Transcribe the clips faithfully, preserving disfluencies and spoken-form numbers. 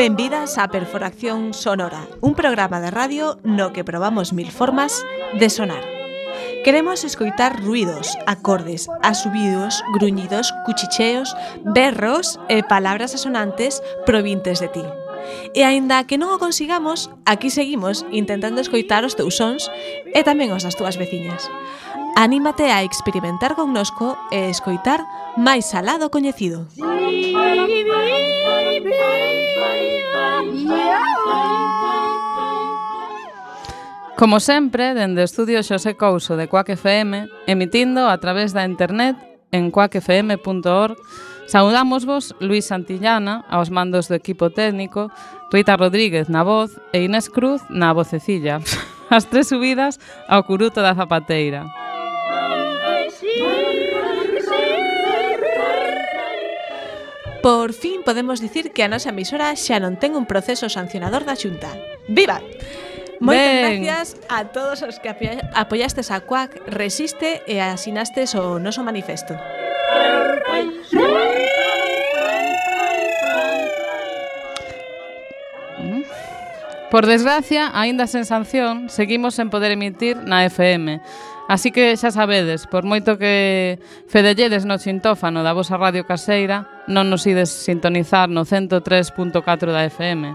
Benvidas a Perforación Sonora, un programa de radio no que probamos mil formas de sonar. Queremos escoitar ruidos, acordes, asubidos, gruñidos, cuchicheos, berros e palabras asonantes provintes de ti. E aínda que non o consigamos, aquí seguimos intentando escoitar os teus sons e tamén os das túas veciñas. Anímate a experimentar connosco e escoitar máis alá do coñecido. Como sempre, dende o estudio Xosé Couso de Quack F M, emitindo a través da internet en quack f m punto org, saudámosvos Luis Santillana aos mandos do equipo técnico, Rita Rodríguez na voz e Inés Cruz na vocecilla, as tres subidas ao curuto da zapateira. Por fin podemos dicir que a nosa emisora xa non ten un proceso sancionador da Xunta. Viva! Moitas Ben. gracias a todos os que apoia- apoiastes a Quack Resiste e asinastes o noso manifesto. Por desgracia, aínda sen sanción, seguimos sen poder emitir na F M. Así que xa sabedes, por moito que fedelledes no xintófano da vosa radio caseira, non nos ides sintonizar no cento tres punto catro da F M.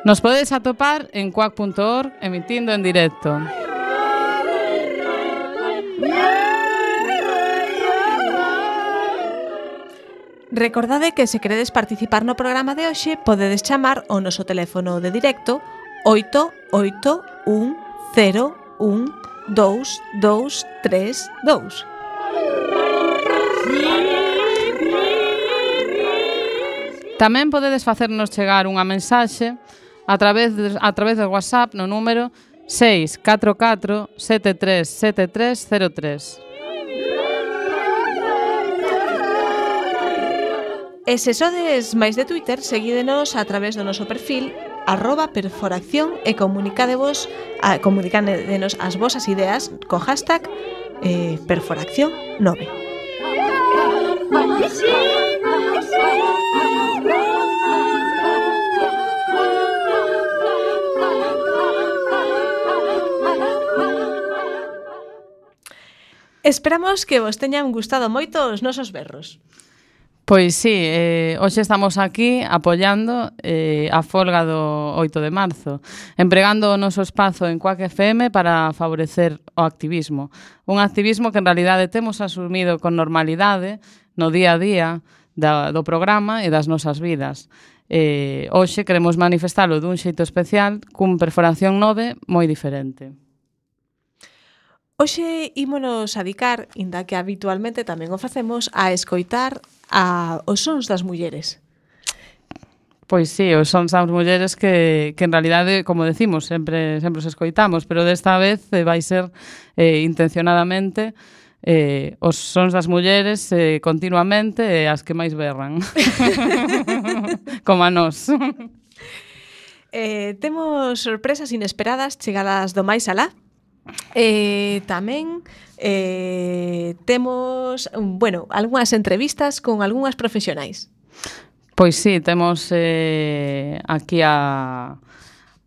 Nos podedes atopar en quack punto org emitindo en directo. Recordade que se queredes participar no programa de hoxe, podedes chamar ao noso teléfono de directo oito oito un cero un dous dous tres dous. Tamén podedes facernos chegar unha mensaxe a través de, a través do WhatsApp no número seis catro catro sete tres sete tres cero tres. E se sodes máis de Twitter, seguídenos a través do noso perfil arroba perforación e comunicadevos, a, comunicádenos as vosas ideas co hashtag eh, perforación nove. Esperamos que vos teñan gustado moito os nosos berros. Pois sí, eh, hoxe estamos aquí apoiando eh, a folga do oito de marzo, empregando o noso espazo en Quack F M para favorecer o activismo. Un activismo que en realidade temos asumido con normalidade no día a día da, do programa e das nosas vidas. Eh, hoxe queremos manifestalo dun xeito especial cun Perforación nove moi diferente. Hoxe ímonos a dedicar, inda que habitualmente tamén o facemos, a escoitar a os sons das mulleres. Pois sí, os sons das mulleres que, que en realidade, como decimos, sempre sempre os escoitamos, pero desta vez eh, vai ser eh, intencionadamente eh, os sons das mulleres eh, continuamente e eh, as que máis berran. Como a nós. Eh, temos sorpresas inesperadas chegadas do máis alá. Eh, tamén eh, temos, bueno, algunhas entrevistas con algunhas profesionais. Pois sí, temos eh, aquí a,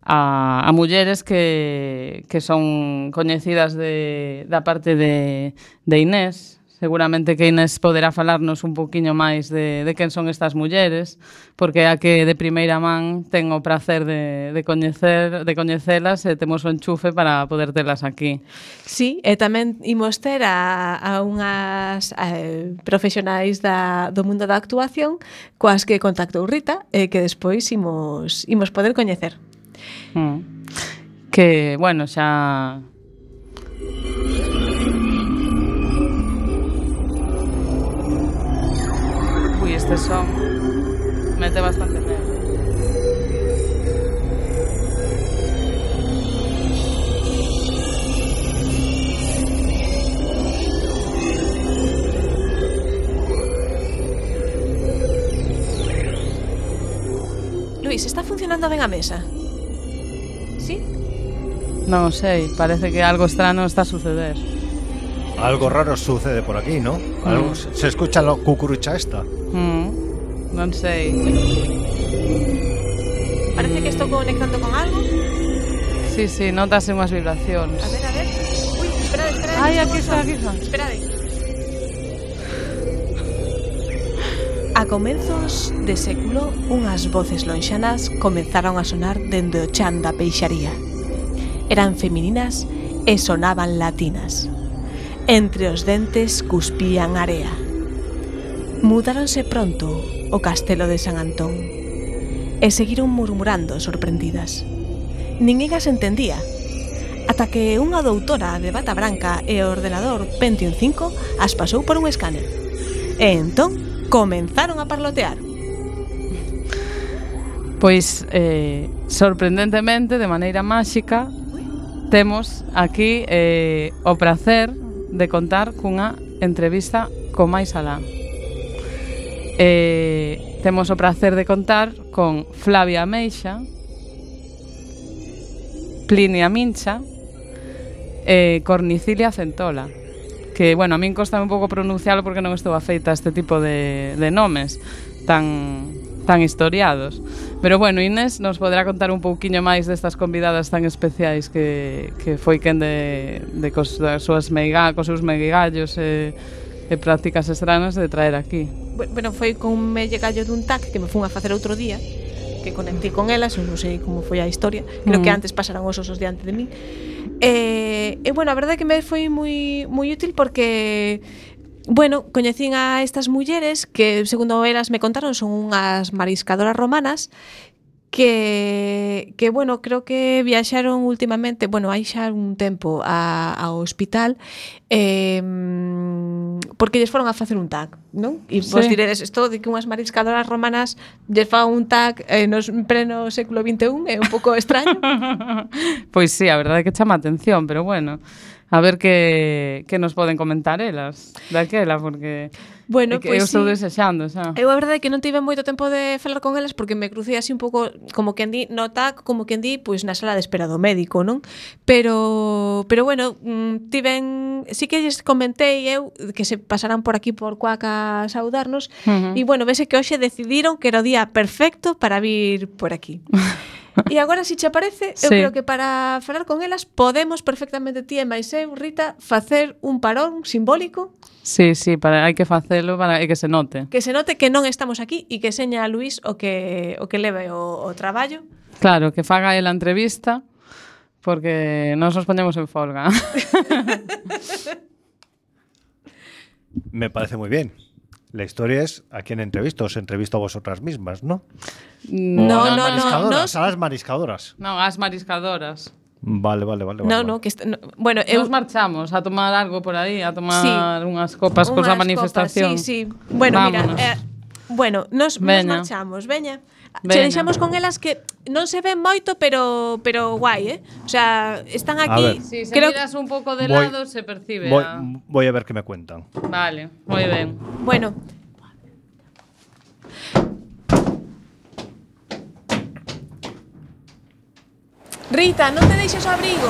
a, a mulleres que, que son coñecidas de, da parte de, de Inés. Seguramente que Inés poderá falarnos un poquinho máis de, de quen son estas mulleres, porque a que de primeira man ten o prazer de, de, coñecer, de coñecelas e temos o enchufe para poder telas aquí. Sí, e tamén imos ter a, a unhas eh, profesionais da, do mundo da actuación coas que contactou Rita e que despois imos, imos poder coñecer. Mm. Que, bueno, xa... Ui, este son mete bastante medo. Luis, está funcionando ben a mesa? Sí? Non sei, parece que algo extraño está a suceder. Algo raro sucede por aquí, ¿no? Algo, Mm. se escucha la cucurucha esta. Mm, non sei. parece que estou conectando con algo. Sí, sí, notase unhas vibracións. A ver, a ver. Ui, esperade, esperade. Ai, aquí está, aquí está. Esperade. A comenzos de século, unhas voces lonxanas comenzaron a sonar dende o chan da peixaría. Eran femininas e sonaban latinas. Entre os dentes cuspían area. Mudáronse pronto o castelo de San Antón e seguiron murmurando sorprendidas. Ninguén as entendía, ata que unha doutora de bata branca e o ordenador Pentium cinco as pasou por un escáner. E entón comenzaron a parlotear. Pois, eh, sorprendentemente, de maneira máxica, temos aquí eh, o prazer de contar cunha entrevista co máis alá. Eh, temos o prazer de contar con Flavia Ameixa, Plinia Mincha e Cornicilia Centola, que, bueno, a min costa un pouco pronuncialo porque non estou afeita a este tipo de, de nomes tan, tan historiados. Pero, bueno, Inés nos poderá contar un pouquiño máis destas convidadas tan especiais que, que foi quen de, de cos, das súas meiga, cos seus meigallos e, e prácticas estranas de traer aquí. Bueno, foi con un melle gallo dun tac que me fun a facer outro día, que conectei con elas, non sei como foi a historia, creo mm. que antes pasaran os osos diante de mí. E, e bueno, a verdade é que me foi moi moi útil porque, bueno, coñecín a estas mulleres que, segundo elas me contaron, son unhas mariscadoras romanas que, que bueno, creo que viaxaron últimamente, bueno, hai xa un tempo a, ao hospital eh, porque lles foron a facer un tac, non? E vos sí. diredes, isto de que unhas mariscadoras romanas lles fan un tac eh, nos pleno século vinte e un é un pouco extraño. Pois sí, a verdade é que chama a atención, pero bueno, a ver que, que nos poden comentar elas daquela, porque bueno, que pues eu estou sí. desexando xa. Eu a verdade é que non tive moito tempo de falar con elas porque me crucei así un pouco como quen di no tac, como quen di pois na sala de espera do médico, non? Pero pero bueno, tiven, sí que lles comentei eu que se pasaran por aquí por Cuaca a saudarnos uh -huh. e bueno, vese que hoxe decidiron que era o día perfecto para vir por aquí. E agora, se che parece, eu sí. creo que para falar con elas podemos perfectamente ti e máis eu, Rita, facer un parón simbólico. Sí, sí, para, hai que facelo para e que se note. Que se note que non estamos aquí e que seña a Luís o que o que leve o, o traballo. Claro, que faga el a entrevista porque nos nos poñemos en folga. Me parece muy bien. La historia es a quién entrevisto, os entrevisto a vosotras mismas, ¿no? No, a no, no, no. A las mariscadoras. No, as mariscadoras. Vale, vale, vale. No, vale, no, vale. que está, no, bueno, eu... Nos marchamos a tomar algo por aí, a tomar sí. unhas copas unhas cosa manifestación. Copas, sí, sí. Bueno, vámonos. mira, eh, bueno, nos, nos marchamos, veña. Veña. Se deixamos con elas que non se ven moito, pero pero guai, eh? O sea, están aquí. Si, sí, se creo miras un pouco de voy, lado se percibe. Voy, a... voy a ver qué me cuentan. Vale, moi ben. Bueno. Rita, non te deixes o abrigo.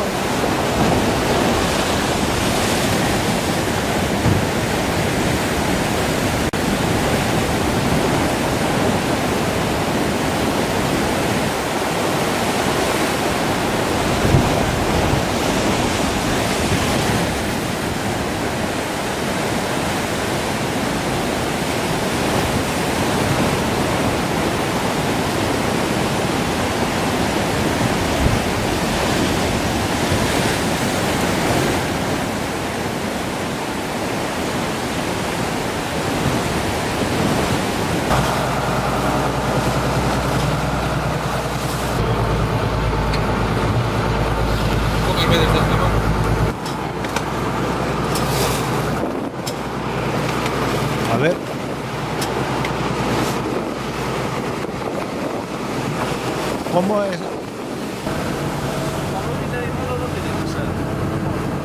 ¿Cómo es?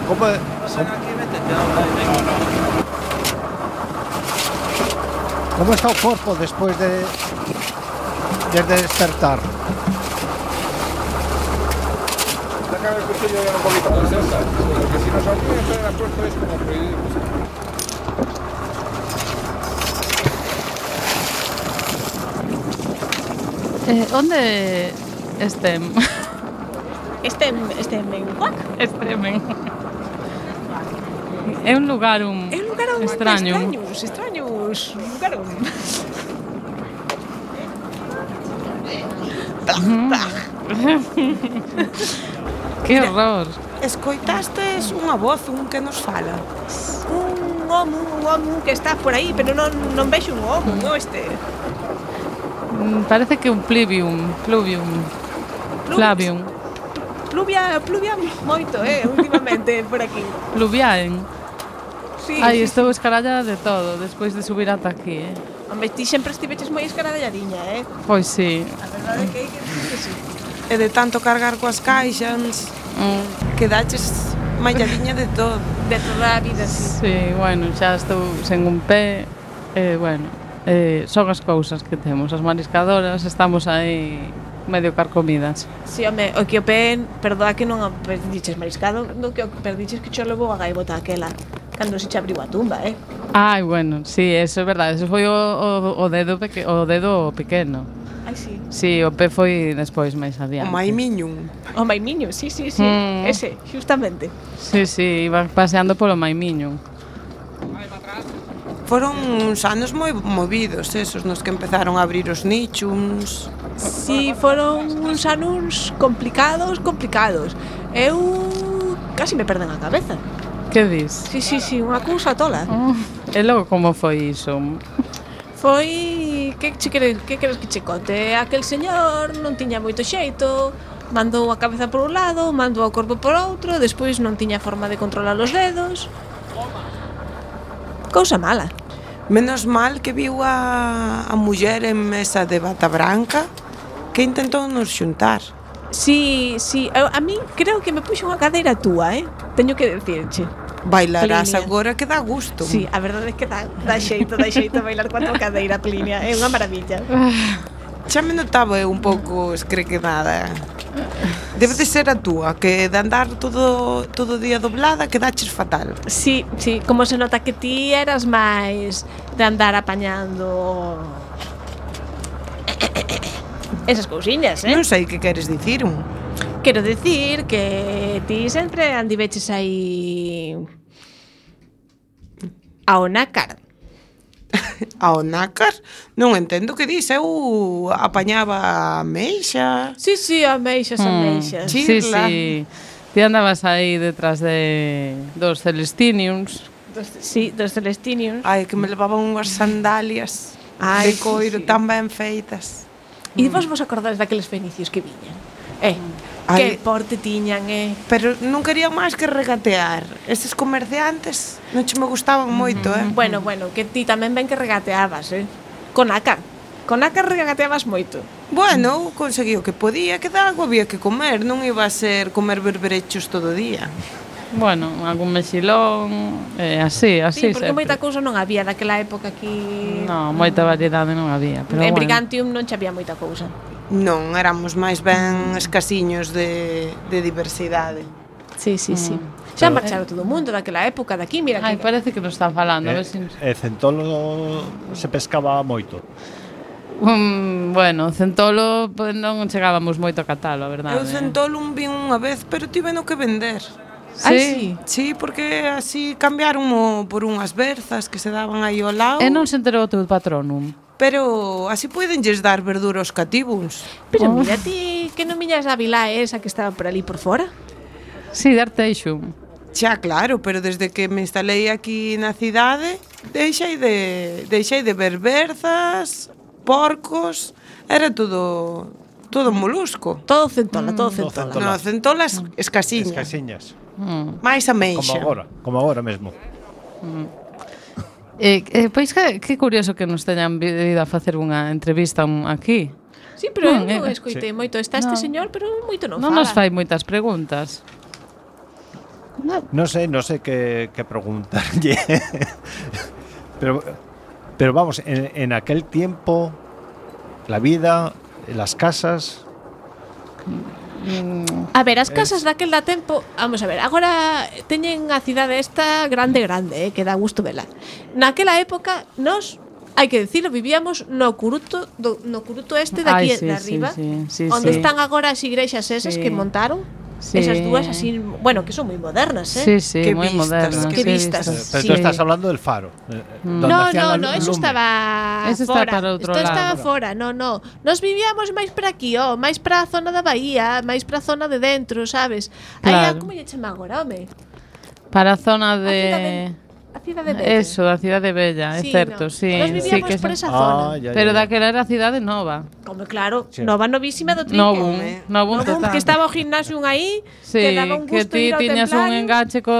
¿Cómo es? ¿Cómo está el cuerpo después de, de despertar? Saca el cuchillo ya un poquito más cerca, porque si nos olvida estar en la puerta es como prohibido. Eh, onde Este... Este, este menguac. Extremen. É un lugar un É un lugar un extraño. extraños, extraños, un lugar un... Que horror. Escoitastes unha voz, un que nos fala. Un homo, un homo que está por aí, pero non, non vexo un homo, non este. Mm, Parece que un plivium, pluvium, flavium, Pluvia, pluvia moito, eh, últimamente por aquí. pluviaen. Sí, Ai, sí, estou escarallada de todo despois de subir ata aquí, eh. sí. Home, ti sempre estiveches moi escaralladiña, eh. Pois sí. A verdade é que hai que dicir que sí. E de tanto cargar coas caixas, Mm, quedaches malladiña de todo. De toda a vida, sí. sí, bueno, xa estou sen un pé. Eh, bueno, eh, son as cousas que temos. As mariscadoras estamos aí medio carcomidas. Si, home, o que o pen, perdoa que non o perdiches mariscado, no que o perdiches que cho levou a gaivota aquela, cando se che abriu a tumba, eh. Ai, bueno, sí, eso é verdade. Eso foi o, o, o dedo peque, o dedo pequeno. Ai, sí. Sí, o pé foi despois máis O adiante. maimiñum. O maimiño, sí, sí, sí. Mm. Ese, justamente. Sí, sí, iban paseando polo Maimiño. Foron uns anos moi movidos esos nos que empezaron a abrir os nichums. Si, foron uns anos complicados, complicados. Eu casi me perden a cabeza. Que dis? Si, si, si, unha cousa tola. Oh, e logo como foi iso? Foi... Que che queres, que queres que che conte? Aquel señor non tiña moito xeito, mandou a cabeza por un lado, mandou o corpo por outro, despois non tiña forma de controlar os dedos. Cousa mala. Menos mal que viu a, a muller en mesa de bata branca que intentou nos xuntar. Si, si, a, a mí creo que me puxo unha cadeira túa, eh? Teño que decirche. Bailarás Plinia. agora que dá gusto. Si, a verdade é que dá, dá xeito, dá xeito bailar coa tua cadeira, Plinia. É unha maravilla. Xa me notaba eu un pouco escrequenada. Debe de ser a túa, que de andar todo todo o día doblada quedaches fatal. Sí, sí, como se nota que ti eras máis de andar apañando esas cousiñas, eh? Non sei que queres dicir un. Quero decir que ti sempre andiveches aí ao nácar. Ao nácar? Non entendo que dis, eu apañaba a meixa. Sí, sí, ameixas, ameixas. Sí. Sí, Chirla. sí. Ti andabas aí detrás de dos Celestiniums. Dos, sí, dos celestinios. Ai, que me levaban unhas sandalias Ai, de coiro sí, sí. tan ben feitas. E vos vos acordades daqueles fenicios que viñan? Eh, Ai. que porte tiñan, eh? Pero non querían máis que regatear. Estes comerciantes non che me gustaban moito, eh? Bueno, bueno, que ti tamén ben que regateabas, eh? Con nácar. Con nácar regateabas moito. Bueno, conseguí o que podía, que de algo había que comer, non iba a ser comer berberechos todo o día. Bueno, algún mexilón, eh, así, Sí, así porque sempre. moita cousa non había daquela época aquí. No, moita variedade non había, pero En bueno. Brigantium non che había moita cousa. Non, éramos máis ben escasiños de, de diversidade. Sí, sí, sí. Xa marcharon todo o mundo daquela época de aquí, mira Ai, que... parece que nos está falando, a ver E, si... e Centolo se pescaba moito. Um, bueno, Centolo pues, non chegábamos moito a catalo, a verdade. Eu centolum vin unha vez, pero tiveno que vender. Ai, Sí. sí. Sí, porque así cambiaron por unhas berzas que se daban aí ao lado. E non se enterou o teu patronum. Pero así podenlles dar verdura aos cativos. Pero mira ti que non miñas a vila esa que estaba por ali por fora. Sí, de Arteixum. Xa, claro, pero desde que me instalei aquí na cidade, deixei de deixei de ver berzas, porcos, era todo todo molusco. Todo centola, todo todo centola. centola. No, centolas escasiñas. Escasiñas. Mm. Mais a Como meixa. agora, como agora mesmo. E, e pois que, que curioso que nos teñan vido a facer unha entrevista un- aquí. Sí, pero Non, eu non eh, escoitei sí. moito. Está este No. señor, pero moito non, Non fala. nos fai moitas preguntas. No sé, no sé qué, qué preguntarle. pero, pero vamos, en, en aquel tiempo, la vida, las casas. A ver, as casas daquel da tempo, vamos a ver, agora teñen a cidade esta grande, grande, eh, que dá gusto vela. Naquela época, nós hai que dicilo, vivíamos no curuto do, no curuto este de aquí Ai, sí, de arriba, sí, sí, sí, onde sí. están agora as igrexas esas Sí. que montaron. Sí. Esas dúas así, bueno, que son moi modernas, eh. Sí, sí, Qué moi vistas, modernas. qué sí, vistas. vistas. Pero Sí. tú estás hablando del faro. eh, donde No, hacían no, la no, lu- eso lumbre. estaba Eso está fora. para outro Esto lado. estaba fora, no, no. Nos vivíamos máis para aquí, oh, máis para a zona da bahía, máis para a zona de dentro, sabes? Aí, Claro. como lle chama agora, home? Para a zona A cidade, de... a cidade bella. Eso, a cidade bella, é Sí, certo, no. sí. Nos sí vivíamos que por sí. esa zona. Ah, ya, Pero ya, ya. daquela era a cidade nova. Como claro, Sí. nova novísima do Trinque. Novum, home. novum No boom, total. que estaba o gimnasio aí, Sí, que daba un que gusto ti ir ao tiñas un templario. enganche co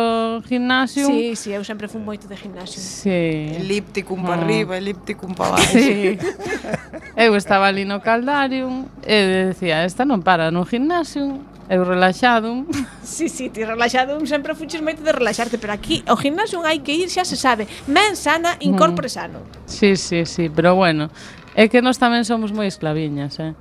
gimnasio. Sí, sí, eu sempre fui moito de gimnasio. Sí. Elípticum para Mm. arriba, elípticum para abaixo. Sí. Eu estaba ali no Caldarium e decía, esta non para no gimnasio, eu relaxado. Sí, sí, ti relaxado, sempre fuches moito de relaxarte, pero aquí ao gimnasio hai que ir, xa se sabe, men sana, incorpore sano. Sí, sí, sí, pero bueno, é que nós tamén somos moi esclaviñas, eh.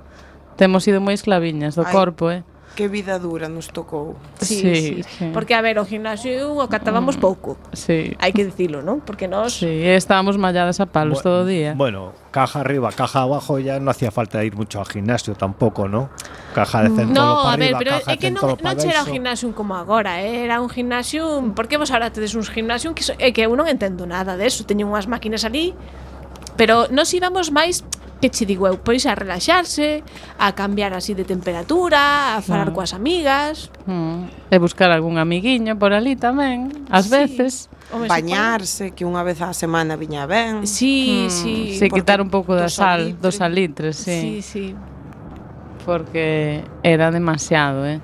Temos sido moi esclaviñas do Ai. corpo, eh. Que vida dura nos tocou. Sí, Sí, sí, sí. Porque, a ver, o gimnasio o catábamos pouco. Sí. Hai que dicilo, non? Porque nós... Sí, e estábamos malladas a palos Bu- todo o día. Bueno, caja arriba, caja abajo, ya no hacía falta ir mucho al gimnasio tampoco, ¿no? Caja de centro No, para a ver, arriba, pero caja é de que non, centro non para era un abaixo. gimnasio como agora, eh? Era un gimnasio... Por que vos ahora tedes uns gimnasio que, so, é que eu non entendo nada deso. Teño unhas máquinas ali, pero nos íbamos máis, que che digo eu, pois a relaxarse, a cambiar así de temperatura, a falar Claro. coas amigas. Mm. E buscar algún amiguiño por ali tamén, ás Sí. veces. Home, Bañarse, que unha vez á semana viña ben. Sí, Mm, sí. sí, porque quitar un pouco da do sal, salitre. dos salitres, Sí, sí, sí. porque era demasiado, eh.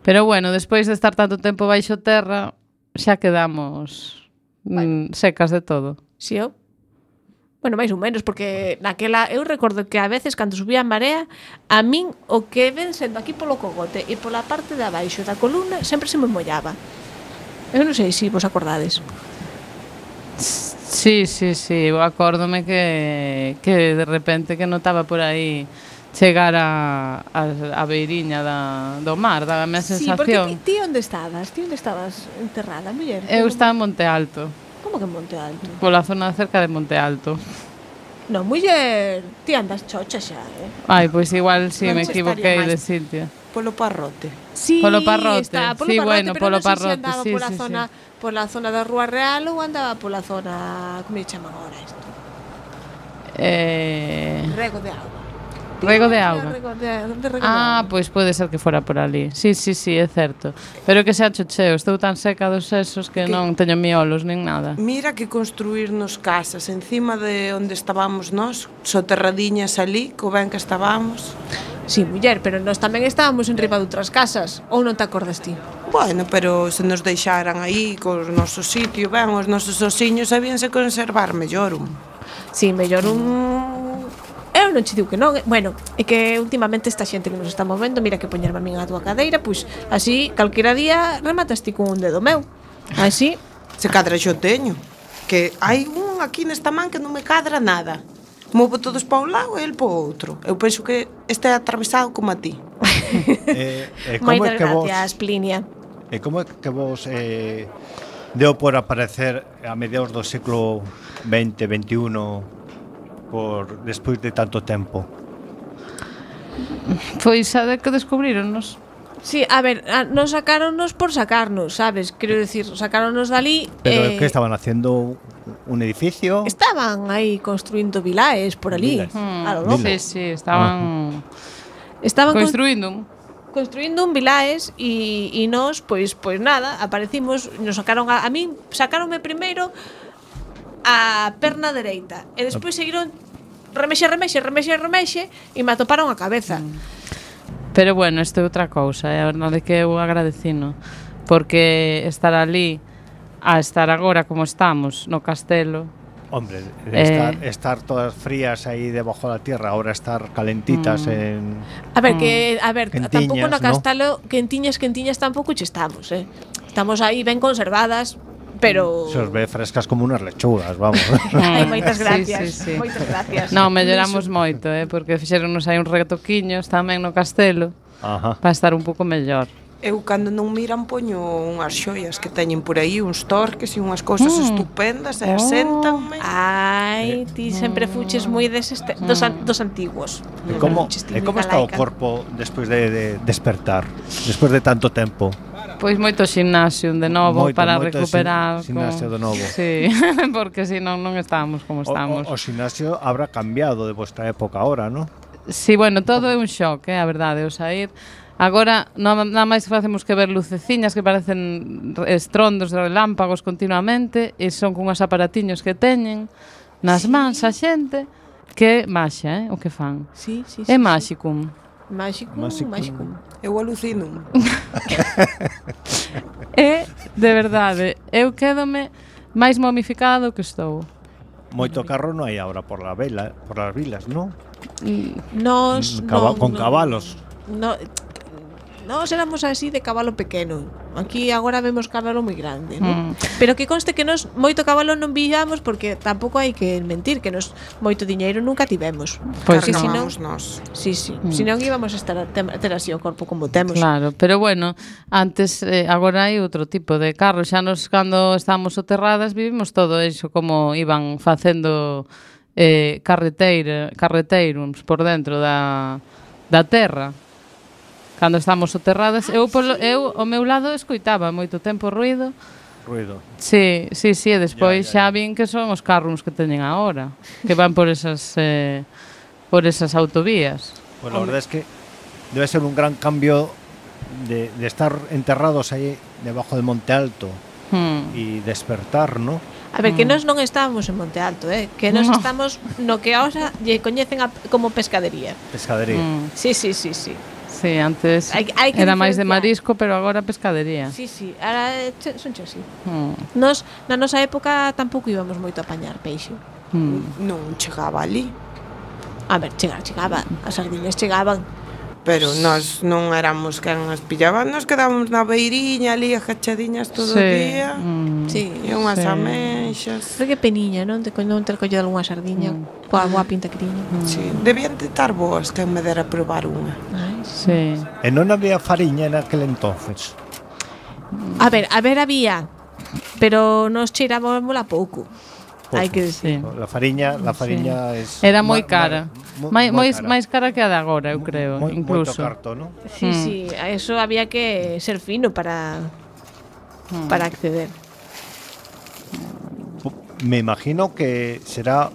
Pero bueno, despois de estar tanto tempo baixo terra, xa quedamos mm, secas de todo. Sí, eu. Bueno, máis ou menos, porque naquela eu recordo que a veces cando subía a marea, a min o que ven sendo aquí polo cogote e pola parte de abaixo da columna sempre se me mollaba. Eu non sei se vos acordades. Sí, sí, sí, eu acórdome que, que de repente que notaba por aí chegar a, a, a beiriña da, do mar, daba a Sí, porque sensación. ti, ti onde estabas? Ti onde estabas enterrada, muller? Eu estaba en Monte Alto, Como que en Monte Alto? pola zona cerca de Monte Alto. Non, muller, ti andas chocha xa, eh? Ai, pois igual si sí, Non me se equivoquei estaría de máis. sitio. Polo parrote. Sí, Polo Parrote. está, polo Sí, parrote, bueno, pero polo non sei Parrote, se andaba sí, pola sí, zona, pola zona da Rúa Real ou andaba pola zona, como lle chaman agora isto? Eh, Rego de auga. Rego de auga. Rego de, de rego de Ah, auga. pois pode ser que fora por ali. Sí, sí, sí, é certo. Pero que xa chocheo, estou tan seca dos sesos que Que- non teño miolos nin nada. Mira que construirnos casas encima de onde estábamos nós, soterradiñas ali, co ben que estábamos. Sí, muller, pero nós tamén estábamos en riba de outras casas. Ou non te acordas ti? Bueno, pero se nos deixaran aí co noso sitio, ben, os nosos osiños sabíanse conservar mellor. un. Sí, mellor un... Eu non che digo que non. Bueno, é que últimamente esta xente que nos está movendo, mira que poñerme a min a túa cadeira, pois así, calquera día rematas ti con un dedo meu. Así, Se cadra xo teño. Que hai un aquí nesta man que non me cadra nada. Movo todos pa un lado e el pa outro. Eu penso que este é atravesado como a ti. Eh, eh, como é moitas que vos, gracias, Plinia. eh, como é que vos eh, deu por aparecer a mediados do século veinte, veintiuno por despois de tanto tempo? Pois a de que descubrironnos. Sí, a ver, a, nos sacaronnos por sacarnos, sabes? Quero decir, sacaronnos dali... Pero eh, que estaban haciendo un edificio? Estaban aí construindo vilaes por ali. Vilas. Mm, A lo loco. sí, sí, estaban Estaban con- construindo un. construindo un vilaes e, e nós, pois, pois nada, aparecimos, nos sacaron a, a min, sacaronme primeiro a perna dereita e despois seguiron remexe, remexe, remexe, remexe e me atoparon a cabeza. Pero bueno, isto é outra cousa, é a verdade que eu agradecino, porque estar ali a estar agora como estamos no castelo. Hombre, de Eh. estar, estar todas frías ahí debajo de la tierra, ahora estar calentitas en... A ver, que, a ver, Quentiñas, tampouco no ¿no? castalo, quentiñas, quentiñas tampouco che estamos, eh. Estamos aí ben conservadas, pero Se os ve frescas como unas lechugas, vamos. Ai, moitas Sí, gracias. sí, sí. Moitas gracias. Non, melloramos moito, eh, porque fixeronos aí uns retoquiños tamén no castelo Ajá. para estar un pouco mellor. Eu cando non miran poño unhas xoias que teñen por aí, uns torques e unhas cousas Mm. estupendas e Oh. aséntanme. Ai, ti sempre fuches moi deses te- dos, an- dos antiguos. E como, Fuches e ti como moi está o galaica. corpo despois de, de despertar? Despois de tanto tempo? Pois moito ximnasio de novo Moito, para moito recuperar. xin- ximnasio de novo. Sí, porque si non non estamos como O, estamos. o, o ximnasio habrá cambiado de vuestra época ahora, ¿no? Sí, bueno, todo é un shock, é a verdade, o sair. Agora, non- nada máis facemos que ver luceciñas que parecen estrondos de relámpagos continuamente e son cunhas aparatiños que teñen nas mans a xente que é maxia, eh, o que fan. Sí, sí, sí. É sí. máxicum. Máxico, Máxico. máxico. Eu alucino. E, de verdade, eu quédome máis momificada do que estou. Moito carro non hai ahora por la vela, por las vilas, ¿no? Nos, Mm, caba- non, con non. cabalos. No, nos éramos así de cabalo pequeno. Aquí agora vemos cabalo moi grande, ¿no? Mm. Pero que conste que nos moito cabalo non villamos porque tampouco hai que mentir que nos moito diñeiro nunca tivemos. Pois Porque non. senón, Cargábamos nós. sí, sí, Mm. senón íbamos a estar a ter, ter así o corpo como temos. Claro, pero bueno, antes eh, agora hai outro tipo de carro, xa nos cando estábamos soterradas vivimos todo iso como iban facendo eh, carreteira, carreteiros por dentro da, da terra. Cando estamos soterradas, eu polo, eu ao meu lado escoitaba moito tempo ruido. Ruido. Sí, sí, sí, e despois Ya, ya, xa ya. vin que son os carros que teñen agora, que van por esas eh, por esas autovías. Pues la verdad es que debe ser un gran cambio de, de estar enterrados ahí debajo del Monte Alto Hmm. y despertar, ¿no? A ver, que Mm. nós non estábamos en Monte Alto, eh? Que nós No. estamos no que ahora lle coñecen a, como pescadería. Pescadería. Mm. Sí, sí, sí, sí. Sí, antes Hai- hai que era máis de diferenciar. marisco, pero agora pescadería. Sí, sí, ahora eh, che- son che así. Mm. Nos, na nosa época tampouco íbamos moito a apañar peixe. Mm. Non chegaba ali. A ver, chegar, chegaba, as sardinas chegaban. Pero nós non éramos quen as pillaban, nos quedábamos na beiriña ali agachadiñas todo o día. Mm. Sí. E unhas Sí. ameixas. Pero que peniña, non? De co- non ter collido algunha sardiña Mm. coa boa pinta que tiña. Sí, debían de estar boas quen me dera probar unha. Ai, Sí. E non había fariña en aquel entonces. a ver, a ver había, pero nos cheirábamos a pouco. Hai que Sí. decir. La fariña, la fariña es Era moi ma- cara. ma- Mai- moi Máis cara. máis cara que a de agora, eu creo, Moi- incluso. Moito carto, ¿no? Sí, Mm. sí, a eso había que ser fino para Mm. para acceder. Me imagino que será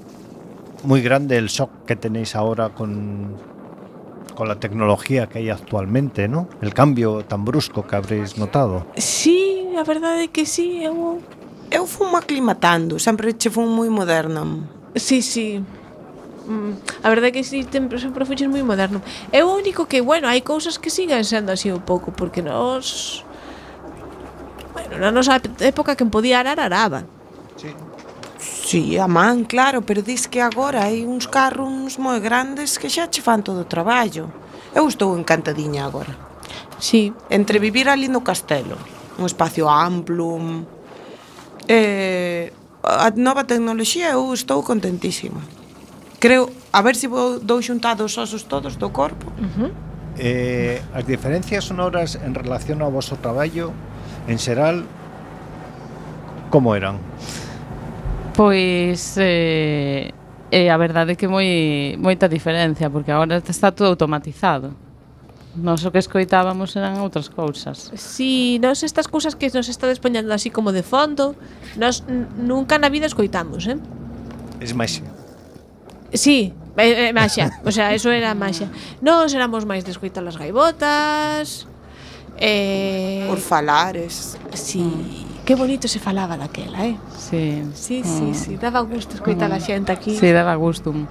muy grande el shock que tenéis ahora con, con la tecnología que hay actualmente, ¿no? El cambio tan brusco que habréis notado. Sí, a verdade é que sí, eu Eu fun aclimatando, sempre che fun moi moderna. Sí, sí. Mm, a verdade é que sí, sempre, sempre fuches moi moderno. É o único que, bueno, hai cousas que siguen sendo así un pouco, porque nos... Bueno, na nosa época quen podía arar, araba. Sí, a man, claro, pero dis que agora hai uns carros moi grandes que xa che fan todo o traballo. Eu estou encantadiña agora. Sí. Entre vivir ali no castelo, un espacio amplo, eh, a nova tecnoloxía, eu estou contentísima. Creo, a ver se vou dou xuntados os osos todos do corpo. Uh -huh. Eh, as diferencias sonoras en relación ao vosso traballo en xeral como eran? Pois eh, eh, a verdade é que moi moita diferencia, porque agora está todo automatizado. Nós o que escoitábamos eran outras cousas. Sí, nos estas cousas que nos está despoñando así como de fondo, nos n- nunca na vida escoitamos, eh? Es máis Sí, é, é maxia, o sea, eso era maxia. Nos éramos máis de escoitar as gaivotas, eh... Por falares. Sí, que bonito se falaba daquela, eh? Sí. Sí, sí, sí, daba gusto escoitar a xente aquí. Sí, daba gustum.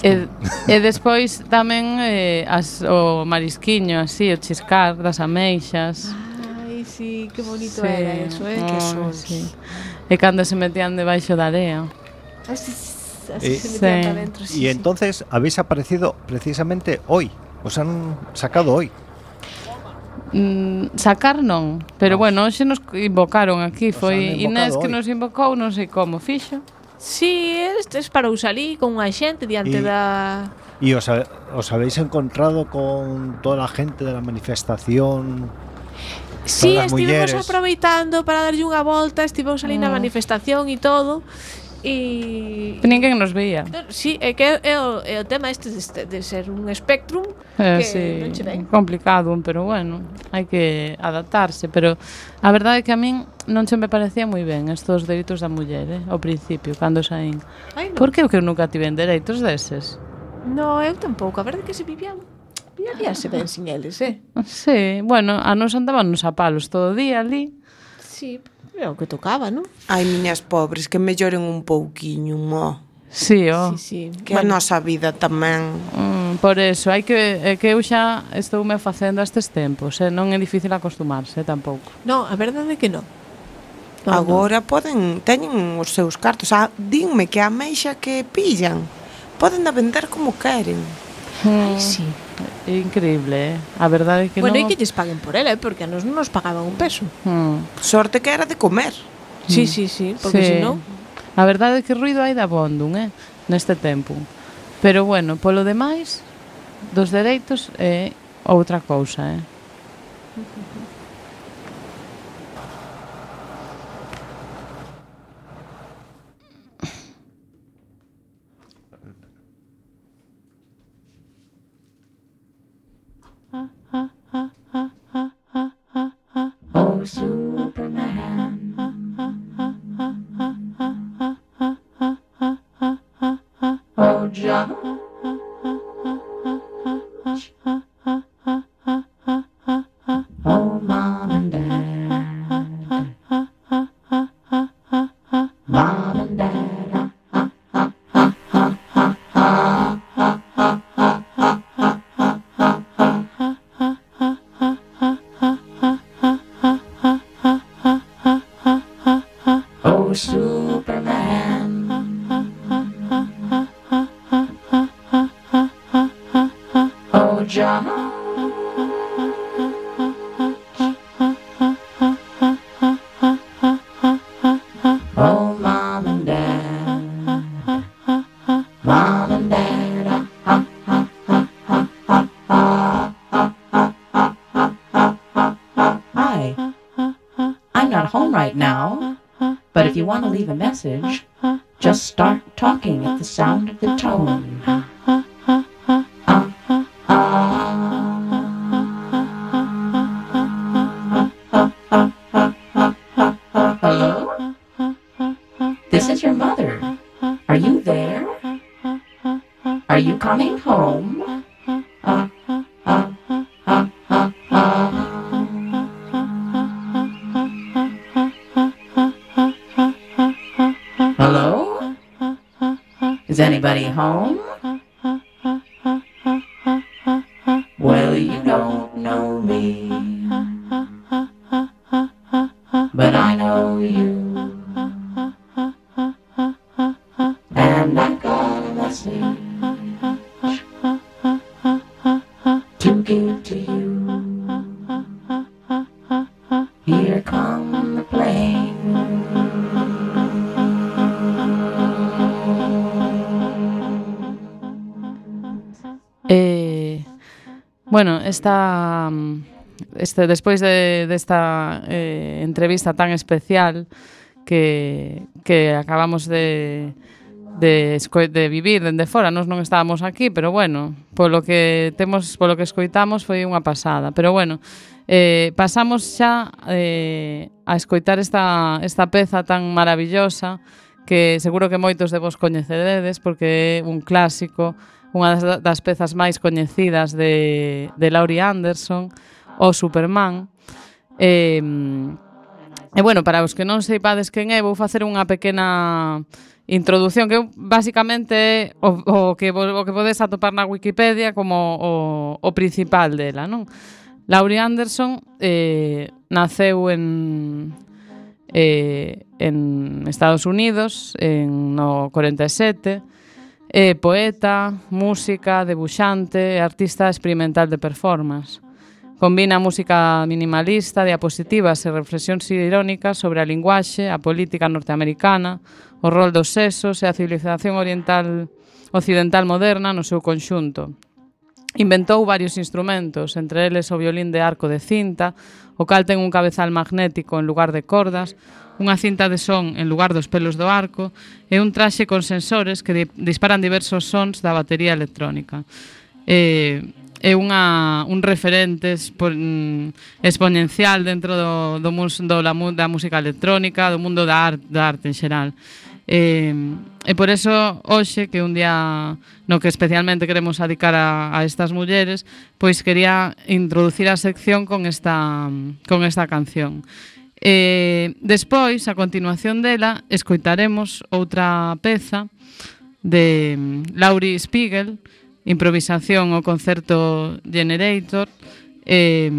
E, e despois tamén eh, as, o marisquiño, así, o chiscar das ameixas. Ai, sí, que bonito Sí. era eso, eh? Que Ai, son. sí. E cando se metían debaixo da area. Así, así Eh, se metían sí. para dentro, sí, y sí. entonces habéis aparecido precisamente hoy. Os han sacado hoy. Mm, sacar non, pero No. bueno, hoxe nos invocaron aquí, Os foi han Inés invocado que hoy. nos invocou, non sei como fixo. Sí, este es para usar con unha xente diante Y- da... ¿Y os, ha- os habéis encontrado con toda la gente de la manifestación Sí, Todas as estivemos mulleres. aproveitando para darlle unha volta, estivemos ali na Mm. manifestación e todo. E Ninguén nos veía. Sí, é que é o, é o tema este de, de ser un espectrum Eh, que sí, non che ven. complicado, pero bueno, hai que adaptarse, pero a verdade é que a min non se me parecía moi ben estos dereitos da muller, eh, ao principio, cando saín. Ai, non. Por que o que eu nunca tiven dereitos deses? No, eu tampouco, a verdade é que se vivían vivíanse ben sin eles, eh? Sí, bueno, a nos andábamos a palos todo o día ali. Sí, é o que tocaba, non? Ai, miñas pobres, que melloren un pouquiño, mo. Sí, oh. Sí, sí. Que a nosa vida tamén. Mm, por eso, hai que é que eu xa estoume facendo a estes tempos, eh? Non é difícil acostumarse tampouco. No, a verdade é que non. No, Agora poden, teñen os seus cartos. Ah, dinme que a meixa que pillan poden a vender como queren. Ai, sí. É increíble, eh? A verdade é que Bueno, non... e que lles paguen por ela, eh? Porque a nos non nos pagaban un peso. Mm. Sorte que era de comer. Sí, sí, sí, porque Sí. se non... A verdade é que ruido hai da bondum, eh? Neste tempo. Pero bueno, polo demais, dos dereitos é outra cousa, eh? Oh, Superman. Oh, John. Oh, Mom and Dad. Mom and Dad. Oh, Superman. Oh, John. Oh, Mom and Dad. Mom and Dad. Hi. I'm not home right now, but if you want to leave a message, just start talking at the sound of the tone. Hello? This is your mother. Are you there? Are you coming home? Hello? Is anybody home? Well, you don't know me, but I know you. And I've got a message to give to you. Here come the plane. Eh, bueno, esta este despois de desta de eh, entrevista tan especial que que acabamos de de esco- de vivir dende fora, nós non estábamos aquí, pero bueno, polo que temos, polo que escoitamos foi unha pasada, pero bueno, eh, pasamos xa eh, a escoitar esta esta peza tan maravillosa que seguro que moitos de vos coñeceredes porque é un clásico, unha das, das pezas máis coñecidas de, de Laurie Anderson, o Superman. E, e bueno, para os que non seipades quen é, vou facer unha pequena introdución que basicamente é o, o, que, o que podes atopar na Wikipedia como o, o principal dela, non? Laurie Anderson eh, naceu en eh, en Estados Unidos en no corenta e sete. É poeta, música, debuxante e artista experimental de performance. Combina música minimalista, diapositivas e reflexións irónicas sobre a linguaxe, a política norteamericana, o rol dos sexos e a civilización oriental occidental moderna no seu conxunto. inventou varios instrumentos, entre eles o violín de arco de cinta, o cal ten un cabezal magnético en lugar de cordas, unha cinta de son en lugar dos pelos do arco e un traxe con sensores que di- disparan diversos sons da batería electrónica. Eh, é unha, un referente expo, mm, exponencial dentro do, do, mus, do, la, da música electrónica, do mundo da, art, da arte en xeral. E, e por eso hoxe, que un día no que especialmente queremos dedicar a, a estas mulleres, pois quería introducir a sección con esta, con esta canción. E despois, a continuación dela, escoitaremos outra peza de Laurie Spiegel, improvisación o concerto Generator. E,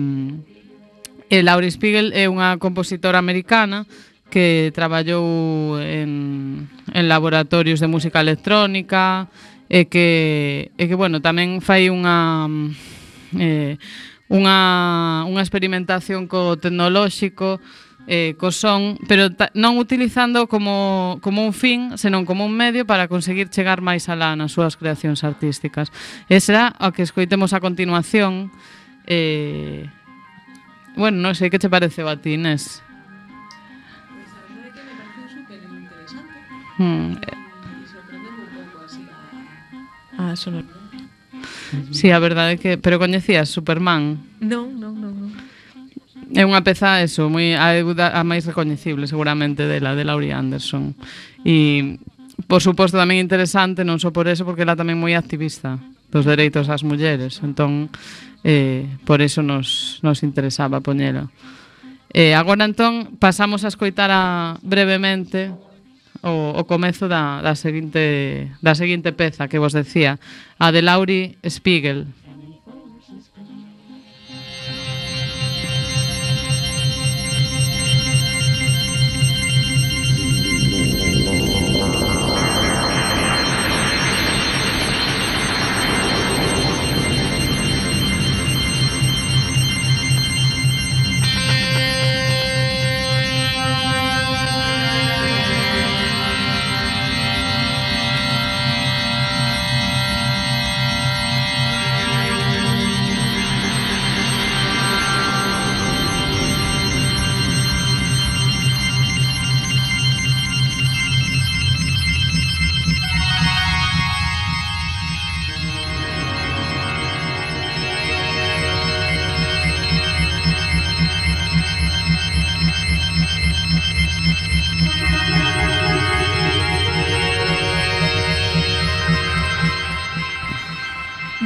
e Laurie Spiegel é unha compositora americana que traballou en, en laboratorios de música electrónica e que, e que bueno, tamén fai unha eh, unha, unha experimentación co tecnolóxico, eh, co son, pero ta, non utilizando como, como un fin, senón como un medio para conseguir chegar máis alá nas súas creacións artísticas. E será o que escoitemos a continuación. Eh, bueno, non sei que che pareceu a ti, Inés. Hmm. Ah, sonor. Sí, a verdade é que... Pero coñecías Superman? Non, non, non, non. É unha peza, eso, moi, a, a máis recoñecible seguramente dela, de Laurie Anderson. E, por suposto, tamén interesante, non só por eso, porque ela tamén moi activista dos dereitos ás mulleres. Entón, eh, por eso nos, nos interesaba poñela. Eh, agora, entón, pasamos a escoitar a, brevemente o, o comezo da, da, seguinte, da seguinte peza que vos decía, a de Laurie Spiegel.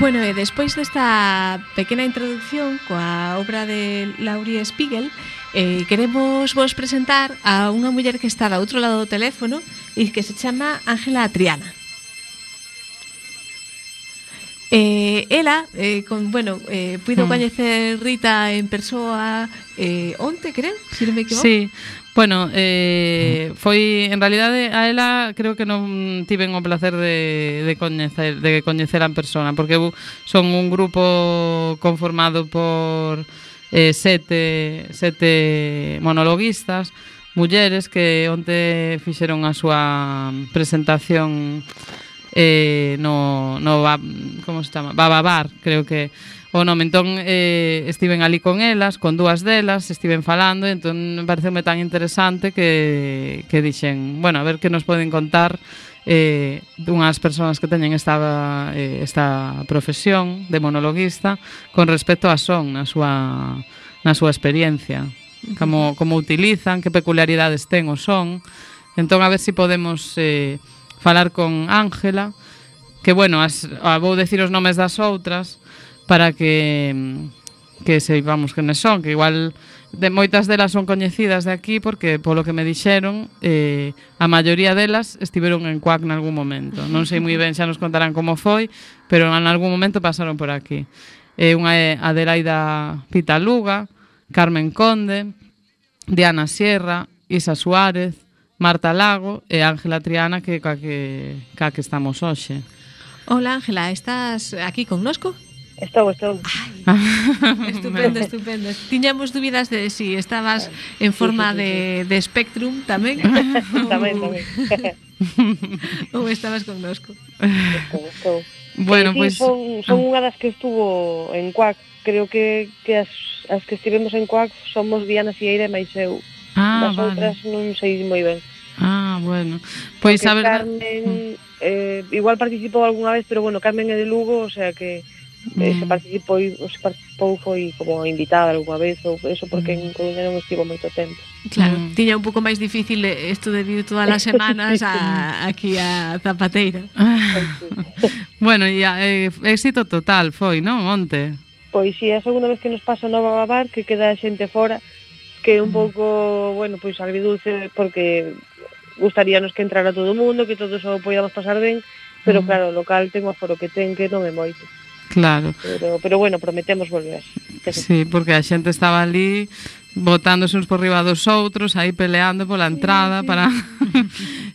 Bueno, e despois desta pequena introducción coa obra de Laurie Spiegel, eh, queremos vos presentar a unha muller que está do outro lado do teléfono e que se chama Ángela Triana. Eh, ela, eh, con, bueno, eh, puido Mm. coñecer Rita en persoa eh, onte, creo, se non me equivoco. Sí, bueno, eh, foi, en realidade, a ela creo que non tiven o placer de, de coñecer de coñecer en persona, porque eu son un grupo conformado por eh, sete, sete monologuistas, mulleres que onte fixeron a súa presentación eh, no, no como se chama? Bababar, creo que o nome. Entón, eh, estiven ali con elas, con dúas delas, estiven falando, e entón me pareceume tan interesante que, que dixen, bueno, a ver que nos poden contar eh, dunhas persoas que teñen esta, eh, esta profesión de monologuista con respecto a son na súa, na súa experiencia, como, como utilizan, que peculiaridades ten o son. Entón, a ver se si podemos eh, falar con Ángela, que, bueno, as, a, vou decir os nomes das outras para que que seipamos quenes son, que igual de moitas delas son coñecidas de aquí, porque polo que me dixeron, eh, a maioría delas estiveron en Cuac nalgún momento. Non sei moi ben, xa nos contarán como foi, pero en algún momento pasaron por aquí. Eh, unha é Adelaida Pitaluga, Carmen Conde, Diana Sierra, Isa Suárez, Marta Lago e Ángela Triana, que ca que, ca que estamos hoxe. Hola, Ángela, estás aquí connosco? Estou, estou. Estupendo, estupendo. Tiñamos dúbidas de si estabas en forma de, de Spectrum tamén. Tamén, tamén. Ou estabas connosco. Estou, estou. Bueno, eh, sí, pois son, son unha das que estuvo en Cuac. Creo que, que as, as que estivemos en Cuac somos Viana Sieira e máis eu. Ah, Das vale. outras non sei moi ben. Ah, bueno. Pois Porque a verdade... Carmen eh, igual participou algunha vez, pero bueno, Carmen é de Lugo, o sea que eh, se Mm. participou, se participou foi como invitada algunha vez ou eso porque en Coruña non estivo moito tempo. Claro, Mm. tiña un pouco máis difícil isto de vir todas as semanas Sí. a, aquí a Zapateira. Bueno, e eh, éxito total foi, non? Onte. Pois si, é a segunda vez que nos pasa Nova Babar, que queda a xente fora, que é un pouco, bueno, pois agridulce porque gustaríanos que entrara todo o mundo, que todos o podíamos pasar ben, pero Mm. claro, o local ten o aforo que ten, que non é moito. Claro. Pero, pero bueno, prometemos volver. Sí, porque a xente estaba ali botándose uns por riba dos outros, aí peleando pola entrada para...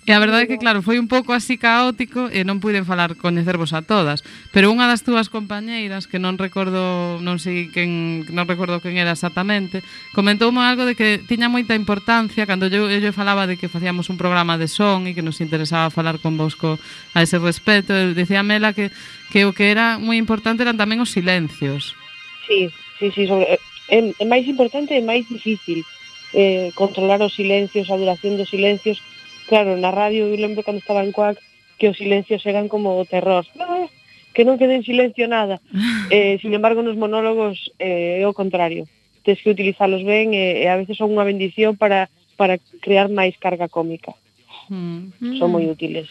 E a verdade é que, claro, foi un pouco así caótico e non puiden falar coñecervos a todas, pero unha das túas compañeiras, que non recordo, non sei quen, non recordo quen era exactamente, comentoume algo de que tiña moita importancia cando eu, eu falaba de que facíamos un programa de son e que nos interesaba falar con vos co, a ese respecto, dicía Mela que, que o que era moi importante eran tamén os silencios. Sí, sí, sí, sobre, é, é máis importante e máis difícil eh, controlar os silencios, a duración dos silencios. Claro, na radio eu lembro cando estaba en Cuac que os silencios eran como o terror, ah, que non quede en silencio nada. Eh, sin embargo, nos monólogos eh, é o contrario. Tens que utilizalos ben e, e a veces son unha bendición para, para crear máis carga cómica. Mm. Son moi útiles.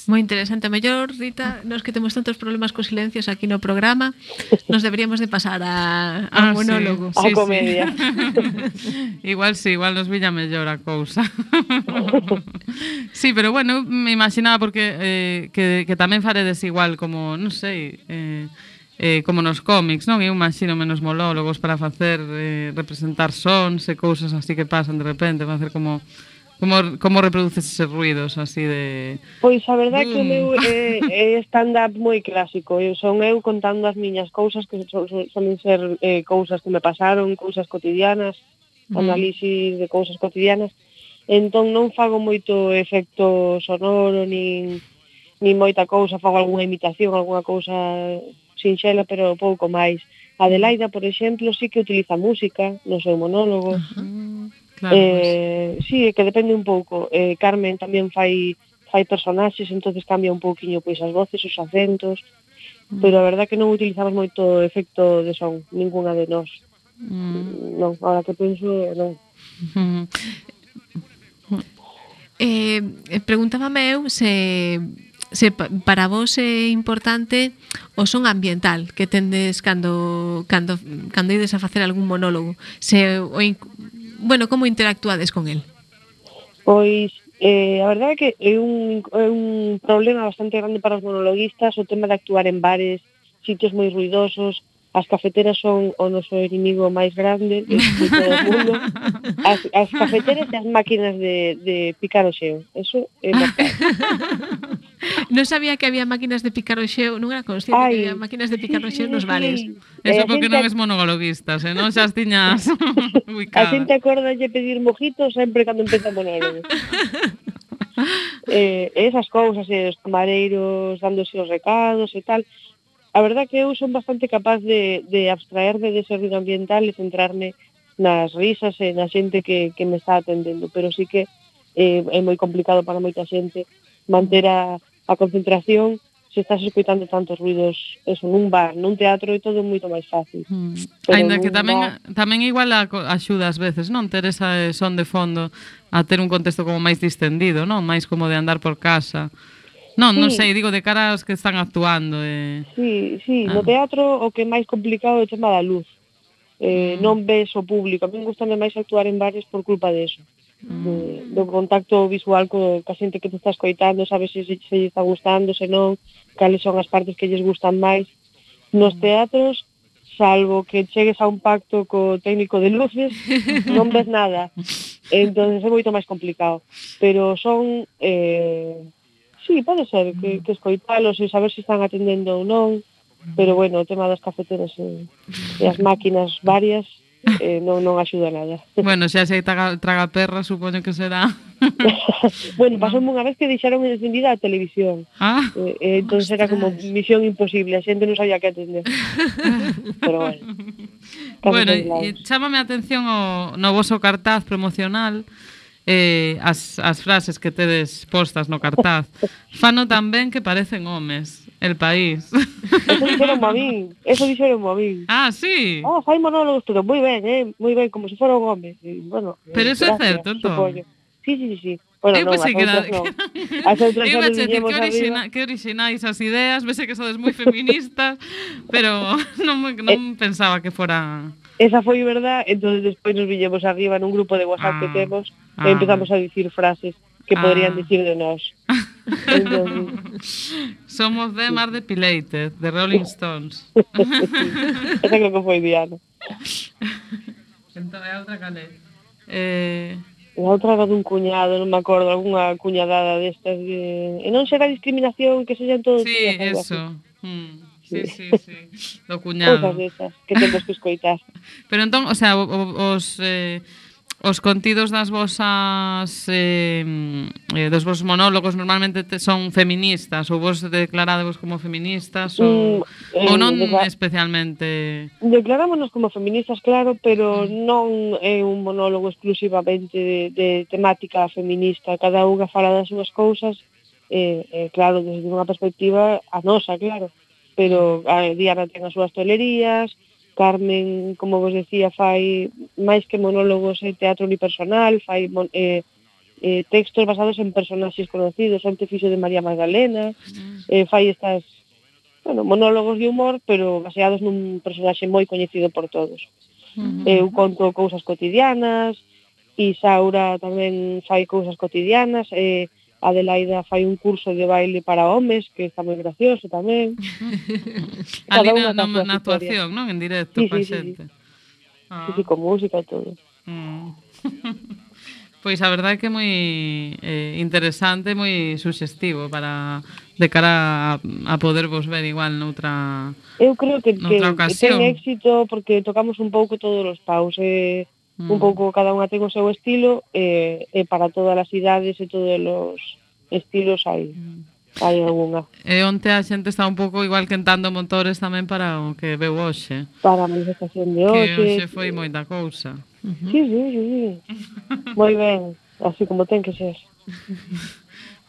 Moi interesante. A mellor, Rita, nos que temos tantos problemas cos silencios aquí no programa, nos deberíamos de pasar a, a Ah, un monólogo. A comedia. Igual sí, igual nos viña mellor a cousa. Sí, pero bueno, me imaginaba porque eh, que, que tamén faredes igual como, non sei, eh, eh, como nos cómics, non? Eu imagino menos monólogos para facer eh, representar sons e cousas así que pasan de repente, facer como como como reproduces eses ruidos así de... Pois a verdade é que o Boom. meu é, é stand-up moi clásico. Eu son eu contando as miñas cousas que son, son, solen ser eh, cousas que me pasaron, cousas cotidianas, Mm. análisis de cousas cotidianas. Entón non fago moito efecto sonoro, nin, nin moita cousa, fago algunha imitación, algunha cousa sinxela, pero pouco máis. Adelaida, por exemplo, sí que utiliza música no seu monólogo. Mm, claro, Eh, sí, é que depende un pouco. Eh, Carmen tamén fai fai personaxes, entonces cambia un pouquiño pois as voces, os acentos, pero a verdade que non utilizamos moito efecto de son, ninguna de nós. pues, mm, Non, agora que penso, non. mm. Eh, preguntábame eu se se pa- para vos é importante o son ambiental que tendes cando cando cando ides a facer algún monólogo. Se o in- bueno, como interactuades con el? Pois, eh, a verdade é que é un, é un problema bastante grande para os monologuistas o tema de actuar en bares, sitios moi ruidosos. As cafeteras son o noso inimigo máis grande de, de todo o mundo. As, as cafeteras e as máquinas de, de picar o xeo. Eso é mortal. Non sabía que había máquinas de picar o xeo, non era consciente Ai, que había máquinas de picar o xeo nos sí, bares. sí. Eso Eh, a porque xente- non es monologuistas, eh, non xa as tiñas A ubicadas. xente acorda de pedir mojitos sempre cando empeza o monólogo. eh, esas cousas, eh, os camareiros dándose os recados e tal. A verdade que eu son bastante capaz de, de abstraerme dese ruido ambiental e centrarme nas risas e na xente que, que me está atendendo, pero sí que eh, é moi complicado para moita xente manter a, a concentración se estás escoitando tantos ruidos, eso, nun bar, nun teatro é todo moito máis fácil. Mm. Pero Ainda que nun tamén bar- tamén igual a, axuda ás veces, non? Ter esa son de fondo a ter un contexto como máis distendido, non? Máis como de andar por casa. Non, non Sí. sei, digo de cara aos que están actuando eh. Sí, sí, Ah. no teatro o que é máis complicado é o tema da luz. Eh, Mm. non ves o público. A mí gustame máis actuar en bares por culpa de eso. De, do contacto visual co, ca xente que te está escoitando, sabes se, se, se lle está gustando, se non, cales son as partes que lles gustan máis. Nos teatros, salvo que chegues a un pacto co técnico de luces, non ves nada. Entón é moito máis complicado. Pero son... Eh, sí, pode ser que, que escoitalos e saber se están atendendo ou non, pero bueno, o tema das cafeteras e, e as máquinas varias eh, non, non axuda nada. Bueno, xa se hai traga, traga perra, supoño que será. Bueno, pasoume unha vez que deixaron encendida a televisión. Ah, Eh, eh, entón era como misión imposible, a xente non sabía que atender. Pero bueno. Casos bueno, aislados. e chámame a atención o no voso cartaz promocional, eh, as, as frases que tedes postas no cartaz. Fano tan ben que parecen homes. El País. Eso dixeron a min, eso dixeron a min. Ah, sí. Ah, fai monólogos, pero moi ben, eh, moi ben, como se fora un home. E, bueno, Pero eh, eso é gracias, certo, entón. supoño. Sí, sí, sí, sí. Bueno, Eu non, pensei as que era... outras non. As outras Eu xa iba a nos decir, viñemos que, orixina, arriba. que orixinais as ideas, vese que sodes moi feministas, pero non, me, non pensaba que fora... Esa foi verdad, entón despois nos viñemos arriba nun grupo de WhatsApp Ah, que temos ah, e empezamos a dicir frases que Ah. poderían dicir de nós. Entón, Somos de Mar Depilated, de Rolling Stones. esa creo que foi Diana. Entón, é outra calé. Eh... E a outra era dun cuñado, non me acordo, algunha cuñadada destas de... E non será discriminación que sexan todos Sí, tías, algo eso. así. Mm, sí, sí, sí. Do Cousas cuñado. desas que temos que escoitar. Pero entón, o sea, o- o- os eh, os contidos das vosas eh, eh, dos vosos monólogos normalmente te, son feministas ou vos declaradevos como feministas ou, Mm, ou eh, non decla- especialmente. Declarámonos como feministas, claro, pero non é un monólogo exclusivamente de, de temática feminista. Cada unha fala das súas cousas, eh, eh, claro, desde unha perspectiva a nosa, claro. Pero a Diana ten as súas tolerías, Carmen, como vos decía, fai máis que monólogos e teatro unipersonal, fai mon, eh, eh, textos basados en personaxes conocidos, onte fixo de María Magdalena, eh, fai estas, bueno, monólogos de humor, pero baseados nun personaxe moi coñecido por todos. Uh-huh. Eu conto cousas cotidianas, Isaura tamén fai cousas cotidianas, e Adelaida fai un curso de baile para homes, que está moi gracioso tamén. Ali Cada unha na, coa na, súa na historia. actuación, non? En directo, Sí, pa sí, sí, xente. Sí, Ah. sí, con música e todo. Mm. Pois a verdade é que é moi eh, interesante, moi suxestivo para de cara a, a poder vos ver igual noutra. Eu creo que, que, Noutra que ocasión. ten éxito porque tocamos un pouco todos os paus, eh, Mm. un pouco cada unha ten o seu estilo, e eh, eh, para todas as idades e todos os estilos hai, hai algunha. E onte a xente está un pouco igual quentando motores tamén para o que veu hoxe. Para a manifestación de Que hoxe. hoxe foi moita cousa. Sí, sí, sí, sí. Moi ben, así como ten que ser.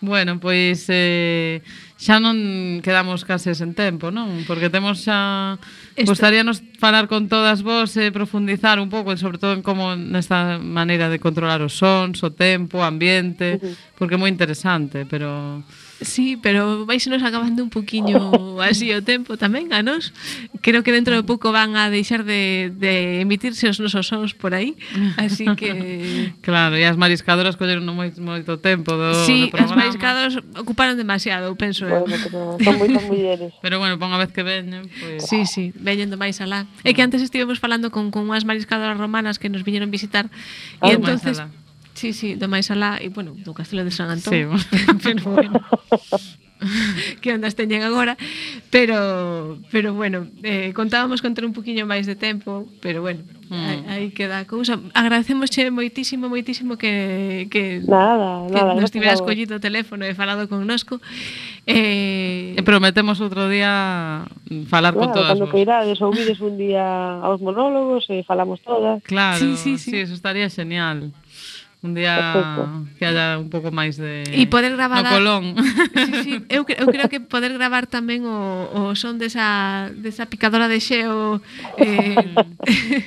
Bueno, pois eh, xa non quedamos case sen tempo, non? Porque temos xa... Esto- Gostaríanos falar con todas vos e profundizar un pouco, sobre todo en como nesta maneira de controlar os sons, o tempo, o ambiente, porque é moi interesante, pero... Sí, pero vais nos acabando un poquiño así o tempo tamén a nos. Creo que dentro de pouco van a deixar de, de emitirse os nosos sons por aí. Así que... Claro, e as mariscadoras colleron moito, moito tempo do, Sí, do as programa. mariscadoras ocuparon demasiado, penso eu. Bueno, pero son moitas mulleres. Pero bueno, pon a vez que veñen, pois... Sí, sí, veñendo máis alá. É que antes estivemos falando con, con unhas mariscadoras romanas que nos viñeron visitar Ah, e do máis entonces alá. Sí, sí, do máis alá e bueno, do Castelo de San Antón. Sí. Pero bueno. Que ondas teñen agora, pero pero bueno, eh, contábamos con ter un poquiño máis de tempo, pero bueno, Mm. aí, aí queda a cousa. Agradecemosche moitísimo, moitísimo que que Nada, que nada, nos gracias tiveras a vos. collido o teléfono e falado connosco. Eh, E prometemos outro día falar con Claro, todas cando vos. que irades, ouvides un día aos monólogos e falamos todas. Claro, Sí, sí, sí, sí. eso estaría genial. Un día Perfecto. que haya un pouco máis de... E poder gravar no a- Colón. Sí, sí, eu, cre- eu creo que poder gravar tamén o, o son desa, desa picadora de xeo eh,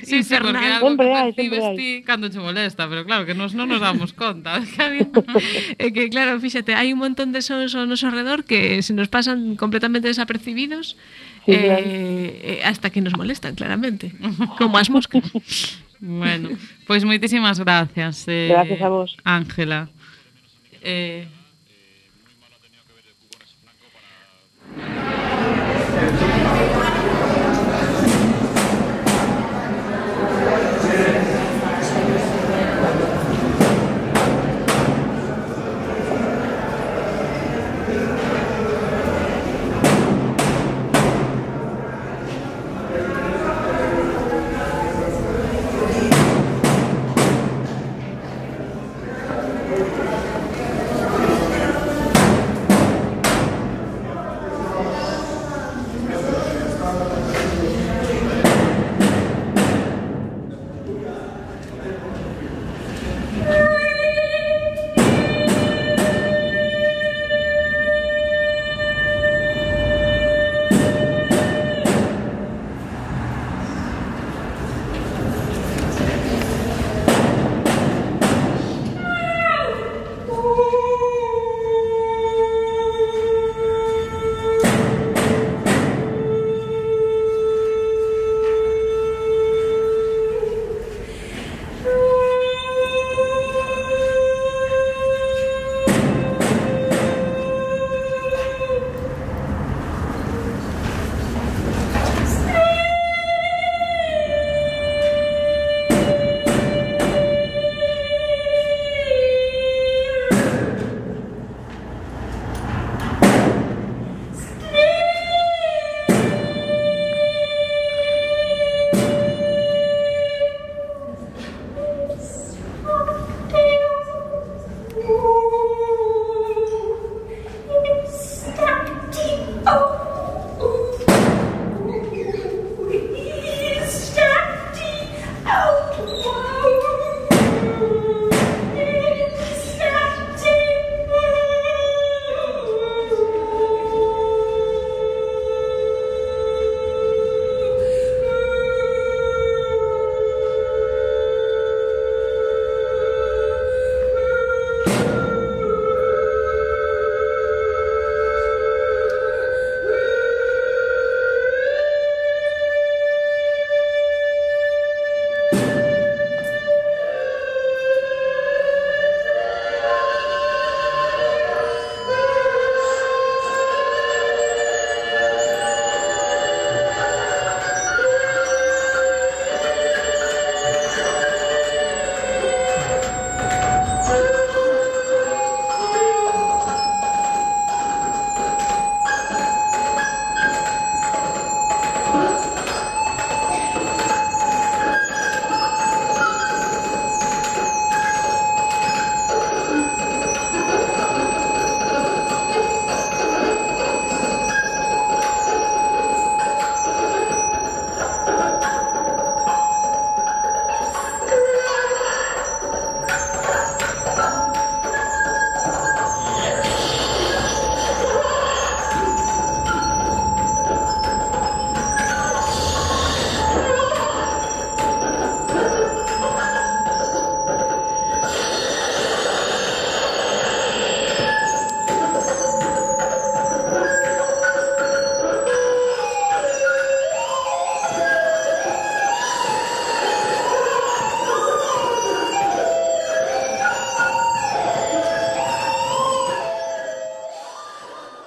Sí, sí, porque é algo Sempre que hai, percibes sempre hai. ti cando che molesta, pero claro, que nos non nos damos conta. Que había... É que claro, fíxate, hai un montón de sons ao noso redor que se nos pasan completamente desapercibidos Sí, eh, claro. eh, hasta que nos molestan, claramente, como as moscas. Bueno, pois pues moitísimas gracias. Eh, Gracias a vos. Ángela. Eh,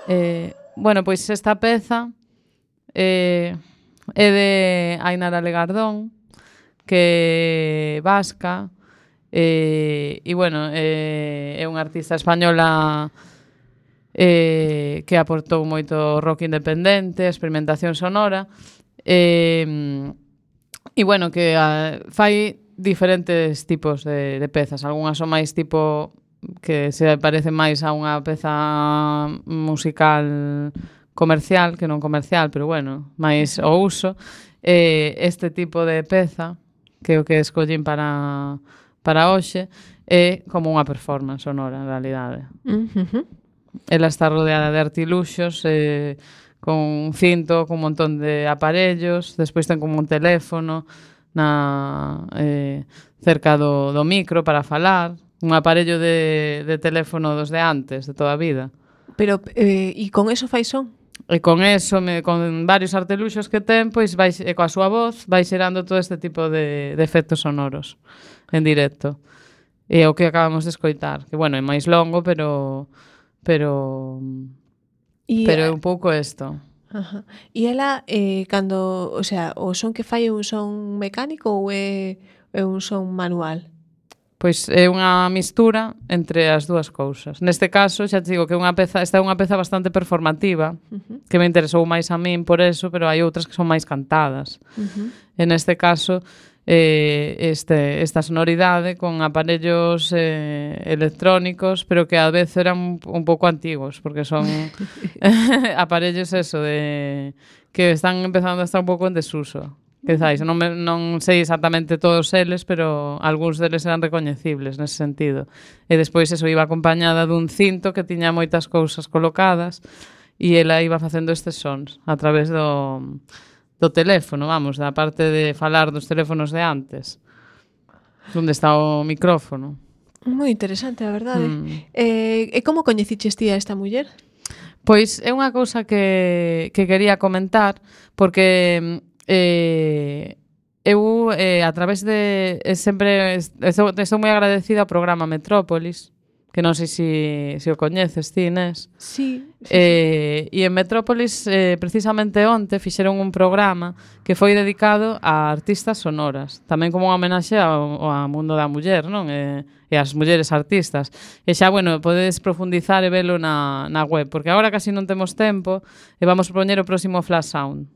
Eh, bueno, pois esta peza eh, é de Ainara Legardón, que é vasca, eh, e bueno, eh, é unha artista española eh, que aportou moito rock independente, experimentación sonora, eh, e bueno, que a, fai diferentes tipos de, de pezas. Algúnas son máis tipo que se parecen máis a unha peza musical comercial que non comercial, pero bueno, máis o uso. Eh, este tipo de peza, que é o que escollín para, para hoxe, é como unha performance sonora, en realidade. Uh-huh. Ela está rodeada de artiluxos, eh, con un cinto, con un montón de aparellos, despois ten como un teléfono na, eh, cerca do, do micro para falar, un aparello de, de teléfono dos de antes, de toda a vida. Pero, eh, e con eso fai son? E con eso, me, con varios arteluxos que ten, pois vai, e coa súa voz vai xerando todo este tipo de, de efectos sonoros en directo. E o que acabamos de escoitar, que bueno, é máis longo, pero pero e, pero é un pouco isto. Ajá. E ela, eh, cando, o sea, o son que fai é un son mecánico ou é, é un son manual? Pois é unha mistura entre as dúas cousas. Neste caso, xa te digo que unha peza, esta é unha peza bastante performativa, uh-huh. que me interesou máis a min por eso, pero hai outras que son máis cantadas. Uh-huh. En este caso, eh, este, esta sonoridade con aparellos eh, electrónicos, pero que a vez eran un, un pouco antigos, porque son aparellos eso de que están empezando a estar un pouco en desuso. Quizáis, non, me, non sei exactamente todos eles, pero algúns deles eran recoñecibles nese sentido. E despois eso iba acompañada dun cinto que tiña moitas cousas colocadas e ela iba facendo estes sons a través do, do teléfono, vamos, da parte de falar dos teléfonos de antes, onde está o micrófono. Moi interesante, a verdade. Mm. Eh, e como coñeciches ti a esta muller? Pois é unha cousa que, que quería comentar, porque Eh, eu eh, a través de eh, sempre estou, estou moi agradecida ao programa Metrópolis, que non sei se si, si o coñeces ti, Inés. Sí, sí, eh, sí. E en Metrópolis eh, precisamente onte fixeron un programa que foi dedicado a artistas sonoras, tamén como unha homenaxe ao, ao mundo da muller, non? E, e as mulleres artistas. E xa, bueno, podedes profundizar e velo na, na web, porque agora casi non temos tempo e vamos propoñer o próximo Flash Sound.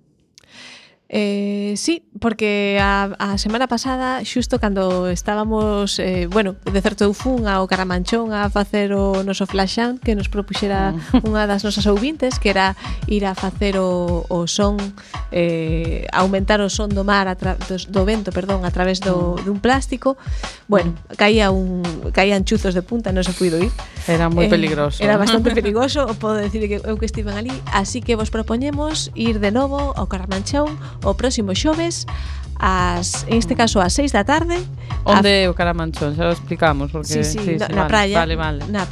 Eh, sí, porque a, a semana pasada, xusto cando estábamos, eh, bueno, de certo eu fun ao Caramanchón a facer o noso flash sound que nos propuxera unha das nosas ouvintes, que era ir a facer o, o son, eh, aumentar o son do mar, a tra, do, do vento, perdón, a través do, dun plástico. Bueno, caía un, caían chuzos de punta, non se puido ir. Era moi eh, peligroso. Era bastante perigoso, podo decir que eu que estiven ali, así que vos propoñemos ir de novo ao Caramanchón o próximo xoves ás, en este caso ás seis da tarde. Onde é o Caramanchón? Xa lo explicamos porque sí, sí, sí, na, sí, na vale, praia, vale, vale. Na